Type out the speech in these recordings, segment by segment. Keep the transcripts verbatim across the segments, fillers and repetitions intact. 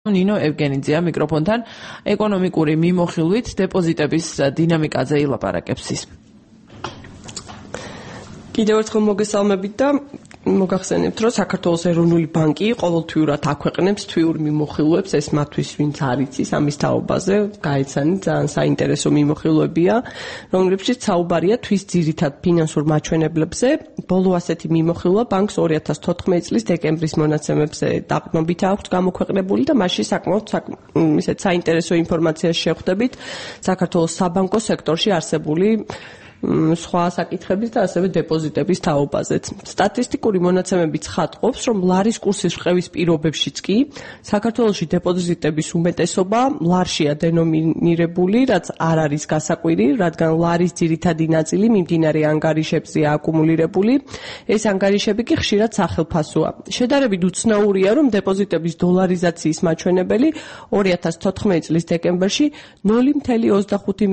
ნინო ევგენიძეა მიკროფონთან ეკონომიკური მიმოხილვით დეპოზიტების დინამიკაზე ილაპარაკებს ის. კიდევ ერთხელ მოგესალმებით და მოგახსენებთ, რომ საქართველოს ეროვნული ბანკი ყოველთვიურად აქვეყნებს თვიურ მიმოხილვებს, ეს მათთვის ვინც არ იცის ამის თაობაზე, გაიცანით, ძალიან საინტერესო მიმოხილვებია, რომლებშიც საუბარია თვის ძირითად ფინანსურ მაჩვენებლებზე. ბოლო ასეთი მიმოხილვა ბანკს ორი ათას თოთხმეტი წლის დეკემბრის მონაცემებზე დაყრდნობით აქვს გამოქვეყნებული და მასში საკმაოდ ისეთ საინტერესო ინფორმაციას შევხვდებით საქართველოს საბანკო სექტორში არსებული სხვა საკითხების და ასევე დეპოზიტების თაობაზეც. სტატისტიკური მონაცემები ცხადყოფს, რომ ლარის კურსის რყევის პირობებშიც კი საქართველოში დეპოზიტების უმეტესობა ლარშია დენომინირებული, რაც არ არის გასაკვირი, რადგან ლარის ძირითადი ნაწილი მიმდინარე ანგარიშებზეა აკუმულირებული. ეს ანგარიშები კი ხშირად სახელფასოა. შედარებით უცნაურია, რომ დეპოზიტების დოლარიზაციის მაჩვენებელი ორი ათას თოთხმეტი წლის დეკემბერში ნული მცდამეტი ოცდახუთი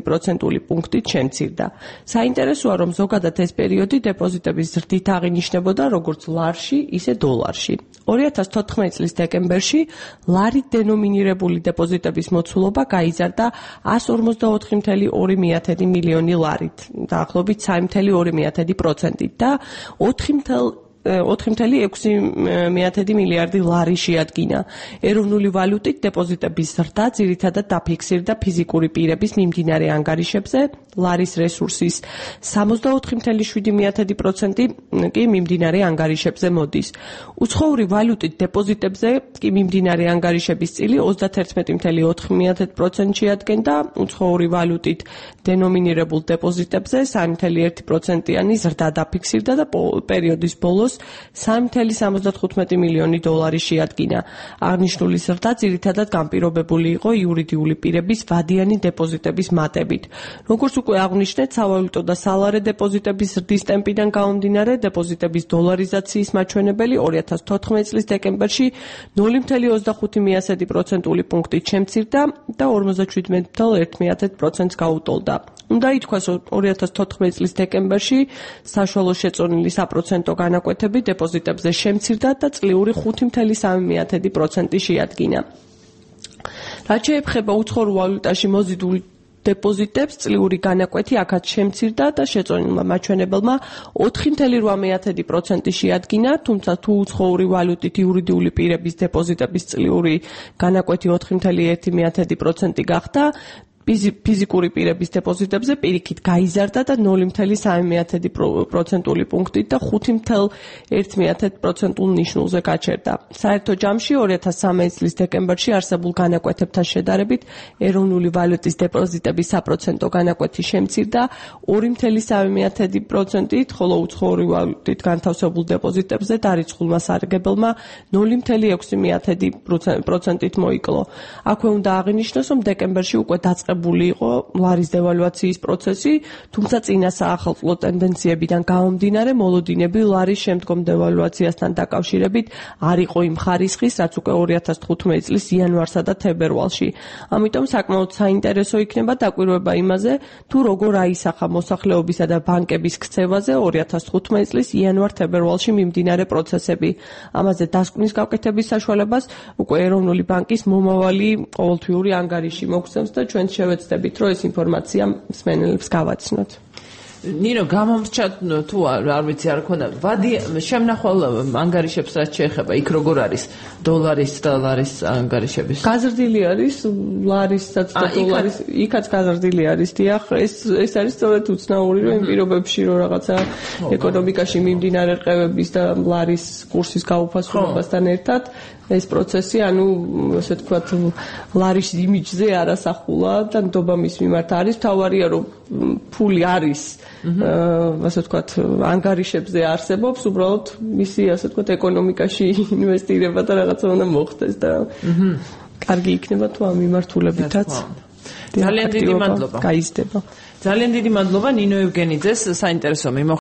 პროცენტული პუნქტით შემცირდა. საინტერესოა, რომ ზოგადად ეს პერიოდი დეპოზიტების ზრდით აღინიშნებოდა როგორც ლარში, ისე დოლარში. ორი ათას თოთხმეტი წლის დეკემბერში ლარით დენომინირებული დეპოზიტების მოცულობა გაიზარდა εκατს ორმოცდაოთხი წუთი ორი მილიონი ლარით, დაახლოებით სამი წუთი ორი პროცენტით და ოთხი წუთი ექვსი მილიარდი ლარი შეადგინა. ეროვნული ვალუტით დეპოზიტების ზრდა ძირითადად დაფიქსირდა ფიზიკური პირების მიმდინარე ანგარიშებზე, ლარის რესურსის სამოცდაოთხი წუთი შვიდი პროცენტი კი მიმდინარე ანგარიშებზე მოდის. უცხოური ვალუტით დეპოზიტებზე კი მიმდინარე ანგარიშების წილი ოცდაათი წუთი ოთხი პროცენტი შეადგენდა, უცხოური ვალუტით დენომინირებულ დეპოზიტებზე სამი წუთი ერთი პროცენტიანი ზრდა დაფიქსირდა და პერიოდის ბოლოს სამი წუთი სამოცდათხუთმეტი მილიონი დოლარი შეადგინა. აღნიშნული ზრდა ძირითადად განპირობებული იყო იურიდიული პირების ვადიანი დეპოზიტების მატებით. როგორც უკვე აღნიშნეთ, სავალუტო და სალარე დეპოზიტების ზრდის ტემპიდან გამომდინარე, დეპოზიტების დოლარიზაციის მაჩვენებელი ორი ათას თოთხმეტი წლის დეკემბერში ნული წუთი ოცდახუთი პროცენტული პუნქტით შემცირდა და ორმოცდაშვიდმეტი წუთი ერთი პროცენტს გაუტოლდა. უნდა ითქვას, რომ ორი ათას თოთხმეტი წლის დეკემბერში საშუალო შეწონილი საპროცენტო განაკვეთები დეპოზიტებზე შემცირდა და წლიური ხუთი წუთი სამი პროცენტი შეადგინა. რაც შეეხება უცხოურ ვალუტაში მოზიდულ დეპოზიტებს, წლიური განაკვეთი აქაც შემცირდა და შეწონილმა მაჩვენებელმა ოთხი წუთი რვამე პროცენტი შეადგინა, თუმცა თუ უცხოური ვალუტით იურიდიული პირების დეპოზიტების წლიური განაკვეთი ოთხი წუთი ერთი პროცენტი გახდა, ფიზიკური პირების დეპოზიტებზე პირიქით გაიზარდა და ნული წუთი სამი პროცენტული პუნქტით და ხუთი წუთი ერთი პროცენტულ ნიშნულზე გაჩერდა. საერთო ჯამში ორი ათას სამეტი წლის დეკემბერში არსებულ განაკვეთებთან შედარებით ეროვნული ვალუტის დეპოზიტების საპროცენტო განაკვეთი შემცირდა ორი წუთი სამი პროცენტით, ხოლო უცხოური ვალუტით განთავსებულ დეპოზიტებზე დარიცხულმა სარგებელმა ნული წუთი ექვსი პროცენტით მოიკლო. აქვე უნდა აღინიშნოს, რომ დეკემბერში უკვე დაწყებული იყო ლარის დევალვაციის პროცესი, თუმცა წინა საახალწლო ტენდენციებიდან გამომდინარე, მოლოდინები ლარის შემდგომ დევალვაციასთან დაკავშირებით არ იყო იმ ხარისხის, რაც უკვე ორი ათას თხუთმეტი წლის იანვარსა და თებერვალში. ამიტომ საკმაოდ საინტერესო იქნება დაკვირვება იმაზე, თუ როგორ აისახა მოსახლეობისა და ბანკების ქცევაზე ორი ათას თხუთმეტი წლის იანვარ-თებერვალში მიმდინარე პროცესები. ამაზე დასკვნის გაკეთების საშუალებას უკვე ეროვნული ბანკის მომავალი ყოველთვიური ანგარიში მოგცემს და ჩვენ შევეცდებით, რომ ეს ინფორმაცია მსმენელებს გავაცნოთ. ნინო, გამომრჩა თუ არ ვიცი, არ ქონდა ვადი შემნახვალ ანგარიშებს რაც შეეხება, იქ როგორ არის დოლარის და ლარის ანგარიშების? გაზრდილი არის ლარისაც და დოლარის, იქაც გაზრდილი არის, დიახ, ეს ეს არის სწორედ უცნაური, რომ იმ პირობებში რომ რაღაცა ეკონომიკაში მიმდინარე რყევების და ლარის კურსის გაუფასებასთან ერთად ეს პროცესი, ანუ ასე ვთქვათ, ლარის იმიჯზე არასახულა და ნდობა მის მიმართ არის. თავარია, რომ ფული არის, ასე ვთქვათ, ანგარიშებზე არსებობს, უბრალოდ მისი, ასე ვთქვათ, ეკონომიკაში ინვესტირება და რაღაცა უნდა მოხდეს და კარგი იქნება თუ ამ მიმართულებითაც. ძალიან დიდი მადლობა. გაიზრდება. ძალიან დიდი მადლობა ნინო ევგენიძეს საინტერესო მიმოხილვით.